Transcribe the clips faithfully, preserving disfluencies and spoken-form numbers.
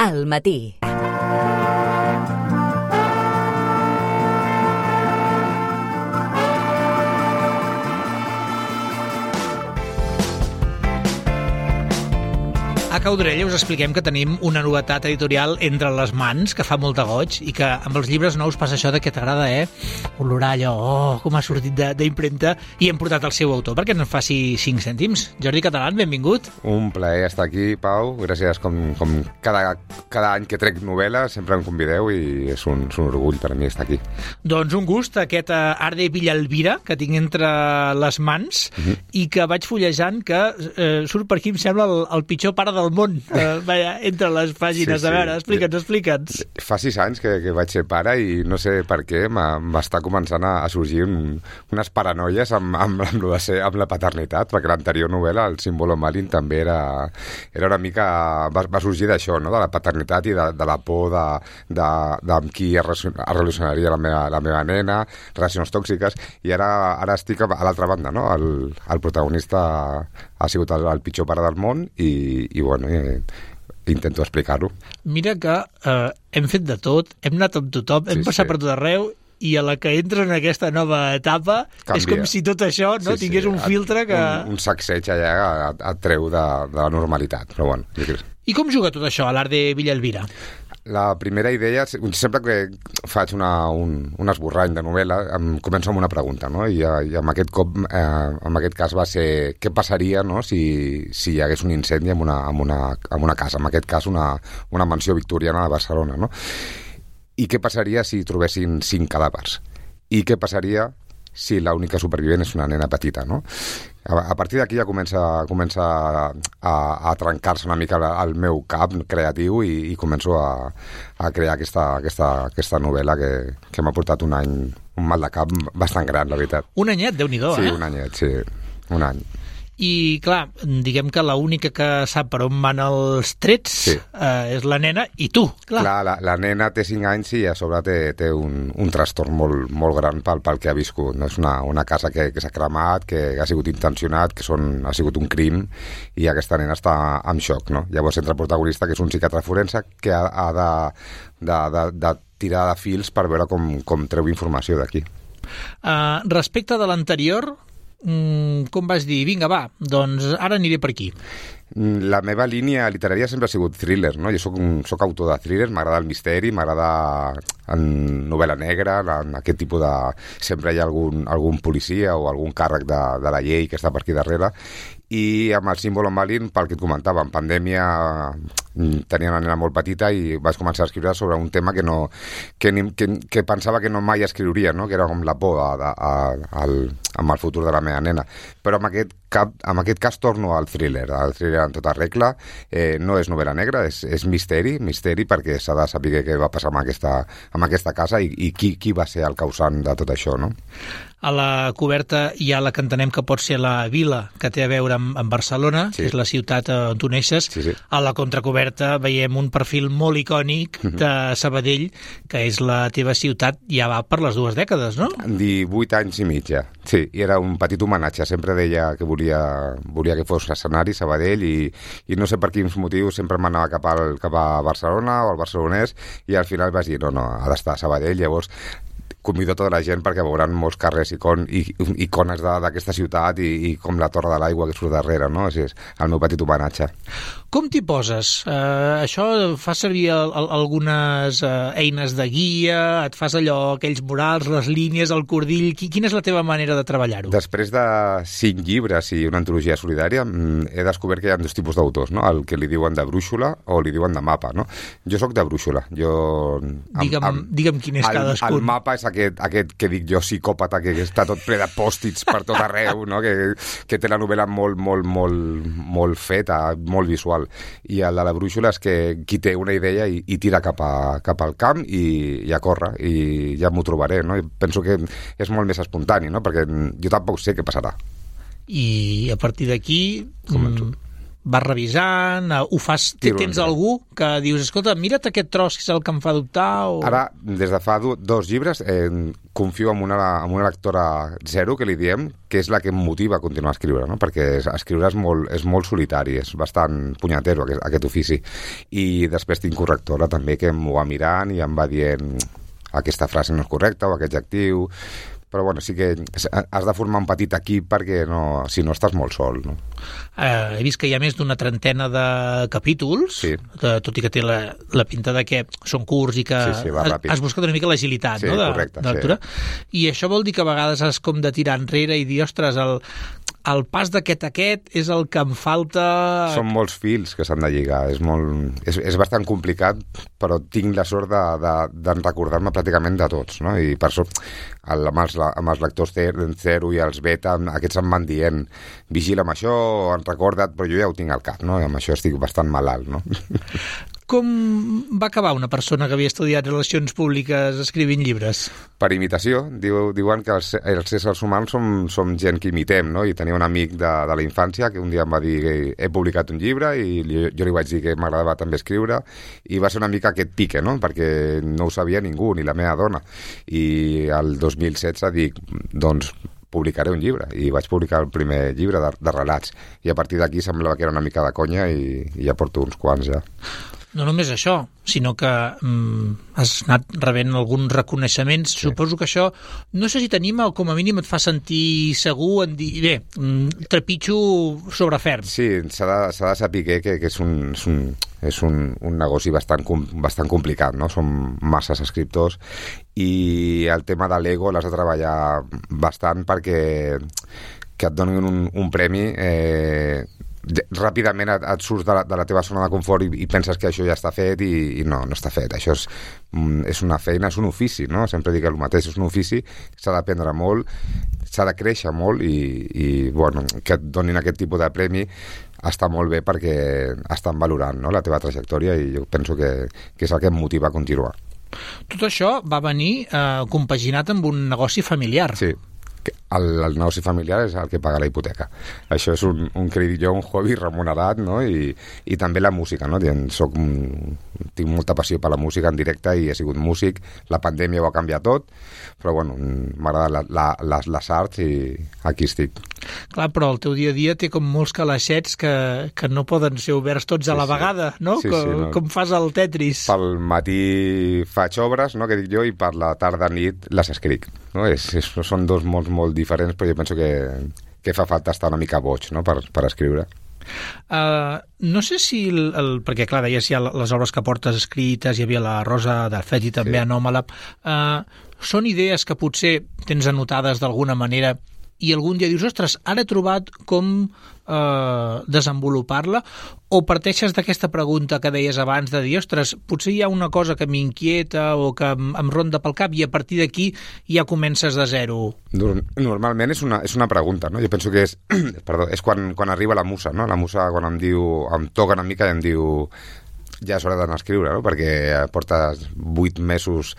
al matí. A Caudrella us expliquem que tenim una novetat editorial entre les mans que fa molt de goig i que amb els llibres nous passa això de que t'agrada, eh? Olorar allò, oh, com ha sortit d'impremta, i hem portat el seu autor perquè no ens faci cinc cèntims. Jordi Catalán, benvingut. Un plaer estar aquí, Pau. Gràcies com, com cada, cada any que trec novel·la sempre em convideu i és un, és un orgull per a mi estar aquí. Doncs un gust, aquest Art de Villalbira que tinc entre les mans uh-huh. i que vaig fullejant que eh, surt per aquí, em sembla, el, el pitjor pare del món, uh, vaja, entre les pàgines. Sí, sí. A veure, explica'ns, explica'ns. Fa sis anys que, que vaig ser pare i no sé per què m'està començant a, a sorgir un, unes paranoies amb, amb, amb, amb, ser, amb la paternitat, perquè l'anterior novel·la, El símbolo Malin, també era, era una mica... Va, va sorgir d'això, no? De la paternitat i de, de la por de, de, de amb qui es relacionaria la meva, la meva nena, relacions tòxiques, i ara, ara estic a l'altra banda, no? El, el protagonista ha sigut el, el pitjor pare del món i, i bueno, eh, intento explicar-ho. Mira que eh, hem fet de tot, hem anat amb tothom, hem sí, passat sí. per tot arreu, i a la que entres en aquesta nova etapa canvia. És com si tot això no sí, tingués sí. un filtre que... Un, un sacseig allà et, et treu de, de la normalitat, però bueno. I com juga tot això a l'Art de Villalbira? La primera idea, sempre que faig una, un, un esborrany de novel·la, em començo amb una pregunta, no? I, i en aquest cop, eh, en aquest cas va ser què passaria, no? si, si hi hagués un incendi en una, en una, en una casa, en aquest cas una, una mansió victoriana de Barcelona, no? I què passaria si trobessin cinc cadàvers? I què passaria si l'única supervivent és una nena petita, no? A, a partir d'aquí ja comença, comença a, a trencar-se una mica el meu cap creatiu i, i començo a, a crear aquesta, aquesta, aquesta novel·la que, que m'ha portat un any, un mal de cap bastant gran, la veritat. Un anyet, Déu-n'hi-do, sí, eh? Sí, un anyet, sí, un any. I, clar, diguem que l'única que sap per on van els trets sí. eh, és la nena i tu, clar. Clar, la, la nena té cinc anys i a sobre té, té un, un trastorn molt, molt gran pel, pel que ha viscut. No? És una, una casa que, que s'ha cremat, que ha sigut intencionat, que són, ha sigut un crim, i aquesta nena està en xoc, no? Llavors entra el protagonista, que és un psiquiatre forense, que ha, ha de, de, de, de tirar de fils per veure com, com treu informació d'aquí. Uh, respecte de l'anterior... Mm, com vas dir, vinga, va, doncs ara aniré per aquí. La meva línia literària sempre ha sigut thriller, no? Jo soc, un, soc autor de thriller, m'agrada el misteri, m'agrada en novel·la negra, en aquest tipus de... Sempre hi ha algun, algun policia o algun càrrec de, de la llei que està per aquí darrere, i amb el símbolo Malin, pel que et comentava, en pandèmia tenia una nena molt petita i vaig començar a escriure sobre un tema que, no, que, que, que pensava que no mai escriuria, no? Que era com la por a, a, a, al, amb el futur de la meva nena. Però en aquest, cap, en aquest cas torno al thriller, al thriller en tota regla. Eh, no és novel·la negra, és, és misteri, misteri perquè s'ha de saber què va passar amb aquesta, amb aquesta casa i, i qui, qui va ser el causant de tot això, no? A la coberta hi ha la que entenem que pot ser la vila que té a veure amb, amb Barcelona, sí. que és la ciutat on tu neixes. Sí, sí. A la contracoberta veiem un perfil molt icònic de Sabadell, que és la teva ciutat, ja va per les dues dècades, no? divuit anys i mig, ja. Sí, i era un petit homenatge. Sempre deia que volia, volia que fos escenari Sabadell i, i no sé per quins motius sempre m'anava cap, al, cap a Barcelona o al barcelonès i al final vaig dir, no, no, ha d'estar a Sabadell. Llavors convido tota la gent perquè veuran molts carrers icon, i, icones d'aquesta ciutat i, i com la Torre de l'Aigua que surt darrere, no? És, és el meu petit homenatge. Com t'hi poses? Uh, això fa servir el, el, algunes uh, eines de guia, et fas allò, aquells murals, les línies, el cordill... Quina és la teva manera de treballar-ho? Després de cinc llibres i una antologia solidària, he descobert que hi ha dos tipus d'autors, no? El que li diuen de brúixola o li diuen de mapa, no? Jo sóc de brúixola. Jo... Digue'm, amb, digue'm quin és el, cadascun. El mapa és aquest, aquest que dic jo psicòpata, que està tot ple de pòstits per tot arreu, no? que, que té la novel·la molt, molt, molt, molt feta, molt visual. I el de la brúixola és que qui té una idea i, i tira cap, a, cap al camp i, i a córrer, i ja m'ho trobaré, no? I penso que és molt més espontani, no? Perquè jo tampoc sé què passarà. I a partir d'aquí... Començo. vas revisant, uh, ho fas... Tiro tens enrere. algú que dius, escolta, mira't aquest tros que és el que em fa dubtar? O... Ara, des de fa do, dos llibres, eh, confio en una, en una lectora zero, que li diem, que és la que em motiva a continuar a escriure, no? Perquè escriure és molt, és molt solitari, és bastant punyatero aquest, aquest ofici. I després tinc correctora també que m'ho va mirant i em va dient aquesta frase no és correcta o aquest adjectiu... Però bueno, sí que has de formar un petit equip perquè no, si no estàs molt sol, no? Uh, he vist que hi ha més d'una trentena de capítols, sí. de, tot i que té la, la pinta de que són curts i que sí, sí, va has, ràpid. has buscat una mica l'agilitat, sí, no? De, correcte, de lectura. Sí. I això vol dir que a vegades has com de tirar enrere i dir, ostres, el, el pas d'aquest a aquest és el que em falta... Són molts fils que s'han de lligar, és, molt, és, és bastant complicat, però tinc la sort de, de, de recordar-me pràcticament de tots, no? I per això el, amb, els, amb els lectors zero i els beta, aquests em van dient vigila amb això, han recordat, però jo ja ho tinc al cap, no? I amb això estic bastant malalt, no? Com va acabar una persona que havia estudiat relacions públiques escrivint llibres? Per imitació. Diu, diuen que els, els éssers humans som, som gent que imitem, no? I tenia un amic de, de la infància que un dia em va dir que he publicat un llibre i jo, jo li vaig dir que m'agradava també escriure i va ser una mica aquest pique, no? Perquè no ho sabia ningú, ni la meva dona. I el dos mil setze dic, doncs, publicaré un llibre, i vaig publicar el primer llibre de, de relats, i a partir d'aquí semblava que era una mica de conya i, i ja porto uns quants ja. No només això, sinó que mm, has anat rebent alguns reconeixements. Sí. Suposo que això, no sé si t'anima o com a mínim et fa sentir segur en dir, bé, mm, trepitjo sobre ferm. Sí, s'ha de, s'ha de saber que, que és, un, és, un, és un, un negoci bastant, bastant complicat, no? Som masses escriptors i el tema de l'ego l'has de treballar bastant perquè que et donin un, un premi eh, ràpidament et, et surts de la, de la teva zona de confort i, i penses que això ja està fet i, i no, no està fet. Això és, és una feina, és un ofici, no? Sempre dic el mateix, és un ofici, s'ha d'aprendre molt, s'ha de créixer molt i, i bueno, que et donin aquest tipus de premi està molt bé perquè estan valorant, no? La teva trajectòria i jo penso que, que és el que em motiva a continuar. Tot això va venir eh, compaginat amb un negoci familiar. Sí. El, el negoci familiar és el que paga la hipoteca. Això és un, un crèdit, un hobby remunerat, no? I, i també la música, no? Soc, tinc molta passió per la música en directe i he sigut músic. La pandèmia ho ha canviat tot, però bueno, m'agrada la, la, les, les arts i aquí estic. Clar, però el teu dia a dia té com molts calaixets que, que no poden ser oberts tots sí, a la sí. vegada, no? Sí, com, sí, no? Com fas al Tetris. Pel matí faig obres, no?, que dic jo, i per la tarda nit les escric. No? És, és, són dos mots molt diferents, però jo penso que, que fa falta estar una mica boig, no?, per, per escriure. Uh, no sé si el, el, perquè clar, deies ja les obres que portes escrites, hi havia la Rosa d'Alfeti també, sí. Anòmala, uh, són idees que potser tens anotades d'alguna manera i algun dia dius, ostres, ara he trobat com eh, desenvolupar-la, o parteixes d'aquesta pregunta que deies abans de dir, ostres, potser hi ha una cosa que m'inquieta o que em, em ronda pel cap i a partir d'aquí ja comences de zero? Normalment és una, és una pregunta, no? Jo penso que és, perdó, és quan, quan arriba la musa, no? La musa quan em diu, em toca una mica i em diu ja és hora d'anar a escriure, no? Perquè portes vuit mesos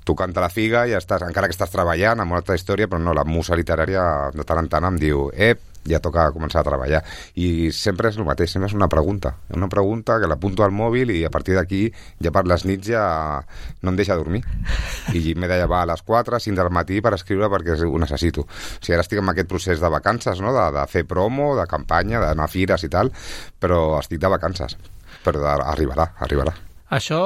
tocant la figa i estàs, encara que estàs treballant amb una altra història, però no, la musa literària de tant en tant em diu, ep, ja toca començar a treballar. I sempre és el mateix, sempre és una pregunta. Una pregunta que l'apunto al mòbil i a partir d'aquí, ja per les nits ja no em deixa dormir. I m'he de llevar a les quatre, cinc del matí per escriure perquè ho necessito. O sigui, ara estic en aquest procés de vacances, no?, de, de fer promo, de campanya, d'anar a fires i tal, però estic de vacances. Però arribarà, arribarà. Això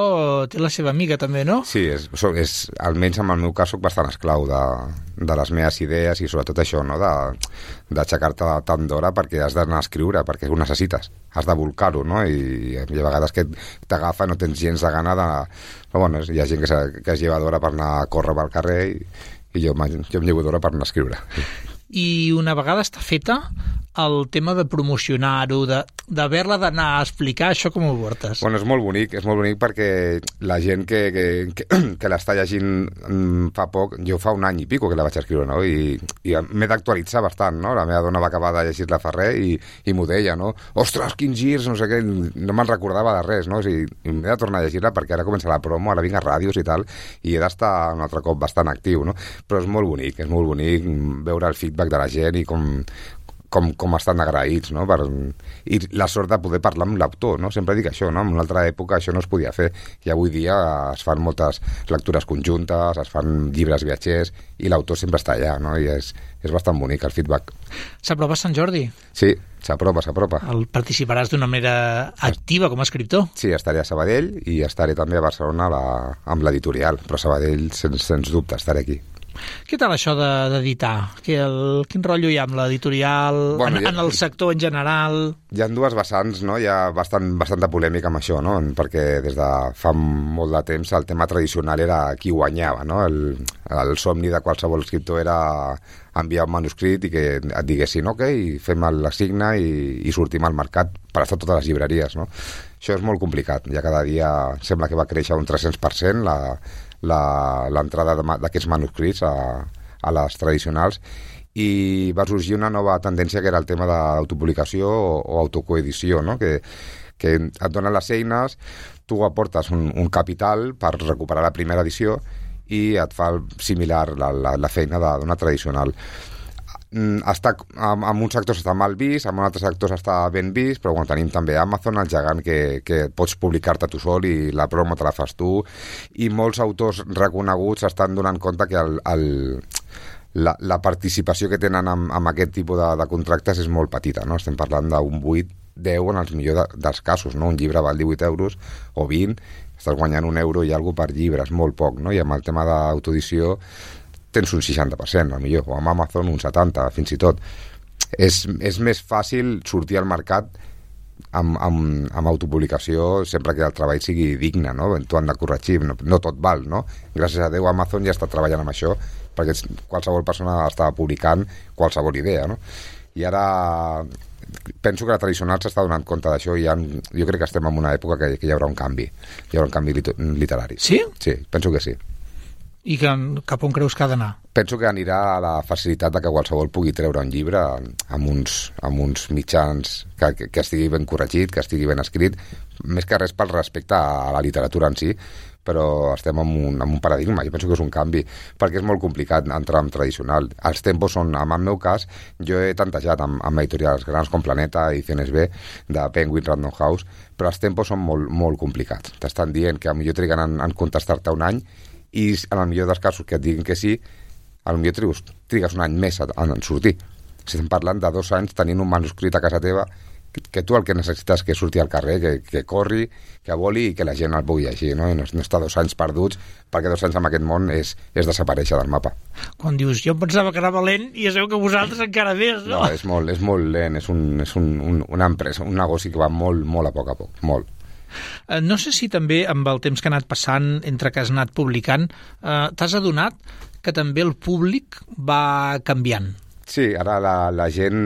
té la seva amiga també, no? Sí, és, és, almenys en el meu cas soc bastant esclau de, de les meves idees i sobretot això, no?, d'aixecar-te tant d'hora perquè has d'anar a escriure, perquè ho necessites, has de volcar-ho, no? I, i a vegades que t'agafa no tens gens de gana de... Però bueno, hi ha gent que, que es lleva d'hora per anar a córrer pel carrer i, i jo, jo em llevo d'hora per anar a escriure. I una vegada està feta, el tema de promocionar-ho, d'haver-la d'anar a explicar, això com ho portes? Bueno, és molt bonic, és molt bonic perquè la gent que, que, que, que l'està llegint fa poc, jo fa un any i pico que la vaig escriure, no? I, i m'he d'actualitzar bastant, no? La meva dona va acabar de llegir-la fa res i, i m'ho deia, no? Ostres, quins girs, no sé què, no me'n recordava de res, no? O sigui, m'he de tornar a llegir-la perquè ara comença la promo, ara vinc a ràdios i tal, i he d'estar un altre cop bastant actiu, no? Però és molt bonic, és molt bonic veure el feedback de la gent i com com, com estan agraïts, no? Per, i la sort de poder parlar amb l'autor, no? Sempre dic això, no? En una altra època això no es podia fer, i avui dia es fan moltes lectures conjuntes, es fan llibres viatgers, i l'autor sempre està allà, no? I és, és bastant bonic el feedback. S'aprova Sant Jordi? Sí, s'apropa, s'apropa. El participaràs d'una manera activa com a escriptor? Sí, estaré a Sabadell i estaré també a Barcelona la, amb l'editorial, però a Sabadell, sens, sens dubte, estaré aquí. Què tal això d'editar? De, el, quin rotllo hi ha amb l'editorial, bueno, en, ha, en el sector en general? Hi ha dues vessants, no? Hi ha bastant, bastanta polèmica amb això, no? Perquè des de fa molt de temps el tema tradicional era qui guanyava, no? El, el somni de qualsevol escriptor era enviar un manuscrit i que et diguessin ok, fem l'assigne i, i sortim al mercat per estar a totes les llibreries, no? Això és molt complicat. Ja cada dia sembla que va créixer un tres-cents per cent la l'entrada d'aquests manuscrits a, a les tradicionals, i va sorgir una nova tendència que era el tema de l'autopublicació o, o autocoedició, no? que, que et donen les eines, tu aportes un, un capital per recuperar la primera edició i et fa similar la, la, la feina d'una tradicional. Està, en, en uns sectors està mal vist, en altres sectors està ben vist, però bueno, tenim també Amazon, el gegant que, que pots publicar-te tu sol i la promo te la fas tu, i molts autors reconeguts estan donant compte que el, el, la, la participació que tenen amb, amb aquest tipus de, de contractes és molt petita, no? Estem parlant d'un vuit deu en els millors de, dels casos, no? Un llibre val divuit euros o vint, estàs guanyant un euro i alguna per llibre, és molt poc, no? I amb el tema d'autoedició tens un seixanta per cent, millor, o amb Amazon un setanta per cent, fins i tot. És, és més fàcil sortir al mercat amb, amb, amb autopublicació sempre que el treball sigui digne, no? Tu han de corregir, no, no tot val, no? Gràcies a Déu Amazon ja està treballant amb això, perquè qualsevol persona està publicant qualsevol idea, no? I ara penso que la tradicional s'està donant compte d'això i ha, jo crec que estem en una època que, que hi haurà un canvi, hi haurà un canvi literari. Sí? Sí, penso que sí. I que, cap on creus que ha d'anar? Penso que anirà a la facilitat de que qualsevol pugui treure un llibre amb uns, amb uns mitjans que, que, que estigui ben corregit, que estigui ben escrit, més que res pel respecte a la literatura en si, però estem en un, en un paradigma. Jo penso que és un canvi, perquè és molt complicat entrar en tradicional. Els tempos són, en el meu cas, jo he tantejat amb, amb editorials grans com Planeta, Ediciones B, de Penguin Random House, però els tempos són molt, molt complicats. T'estan dient que potser triguen en, en contestar-te un any, i en el millor dels casos que et diguin que sí, potser trigues, trigues un any més en sortir. Si estem parlant de dos anys tenint un manuscrit a casa teva que, que tu el que necessites que surti al carrer, que, que corri, que voli i que la gent el pugui llegir, no? I no, no està dos anys perduts, perquè dos anys en aquest món és, és desaparèixer del mapa. Quan dius, jo pensava que anava lent i ja sabeu que vosaltres encara més, no? No, és molt, és molt lent, és, un, és un, un, una empresa, un negoci que va molt, molt a poc a poc, molt. No sé si també amb el temps que ha anat passant entre que has anat publicant eh, t'has adonat que també el públic va canviant. Sí, ara la, la gent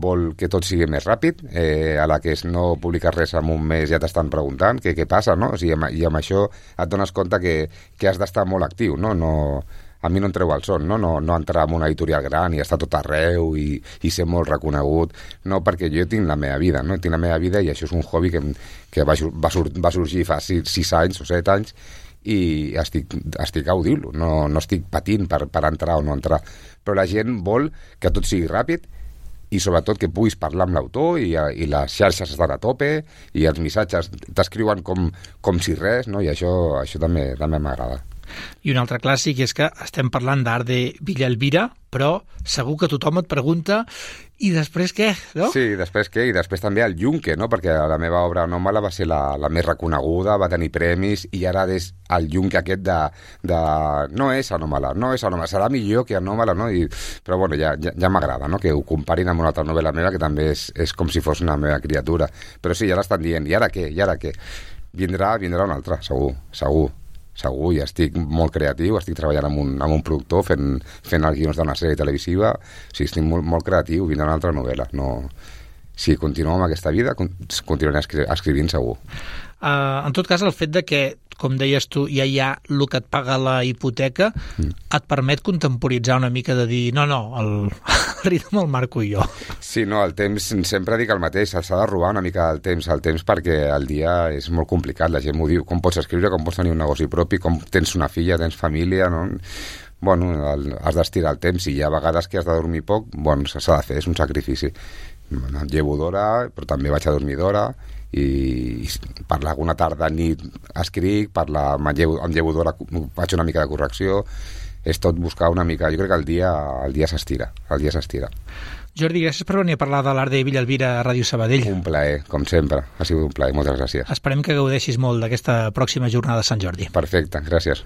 vol que tot sigui més ràpid, eh, a la que no publiques res en un mes ja t'estan preguntant què, què passa, no? O sigui, amb, i amb això et dones compte que, que has d'estar molt actiu, no? No, a mi no em treu el son, no? No, no entrar en una editorial gran i estar tot arreu i, i ser molt reconegut, no, perquè jo tinc la meva vida, no? Tinc la meva vida i això és un hobby que, que va, va, sur, va sorgir fa sis, sis anys o set anys i estic, estic gaudint-lo, no, no estic patint per, per entrar o no entrar, però la gent vol que tot sigui ràpid i sobretot que puguis parlar amb l'autor i, i les xarxes estan a tope i els missatges t'escriuen com, com si res, no? I això, això també també m'agrada. I un altre clàssic és que estem parlant d'Art de Villalbira, però segur que tothom et pregunta i després què, no? Sí, després què? I després també el Yunque, no? Perquè la meva obra anòmala va ser la, la més reconeguda, va tenir premis i ara és el Yunque aquest de, de no és anòmala, no és anòmala, serà millor que anòmala, no? I, però bueno, ja, ja, ja m'agrada, no? Que ho comparin amb una altra novel·la meva que també és, és com si fos una meva criatura. Però sí, ja l'estan dient, i ara què? I ara què? Vindrà, vindrà una altra, segur, segur. Segur, ja estic molt creatiu, estic treballant amb un, amb un productor fent, fent els guions d'una sèrie televisiva, o sigui, estic molt, molt creatiu, vindrà una altra novel·la. No... Si continuem amb aquesta vida, continuaré escri escrivint segur. Uh, en tot cas, el fet de que com deies tu, ja hi ha el que et paga la hipoteca, mm. et permet contemporitzar una mica de dir, no, no, el, el ritme el marco jo. Sí, no, el temps, sempre dic el mateix, s'ha de robar una mica del temps, el temps perquè el dia és molt complicat, la gent m'ho diu, com pots escriure, com pots tenir un negoci propi, com tens una filla, tens família, no? Bueno, el, has d'estirar el temps, i hi ha vegades que has de dormir poc, bueno, s'ha de fer, és un sacrifici. Em llevo d'hora, però també vaig a dormir d'hora, i per alguna tarda, nit, escric, per la, em llevo, em llevo d'hora, faig una mica de correcció, és tot buscar una mica, jo crec que el dia el dia s'estira, el dia s'estira. Jordi, gràcies per venir a parlar de l'art de Villalbira a Ràdio Sabadell. Un plaer, com sempre, ha sigut un plaer, moltes gràcies. Esperem que gaudeixis molt d'aquesta pròxima jornada de Sant Jordi. Perfecte, gràcies.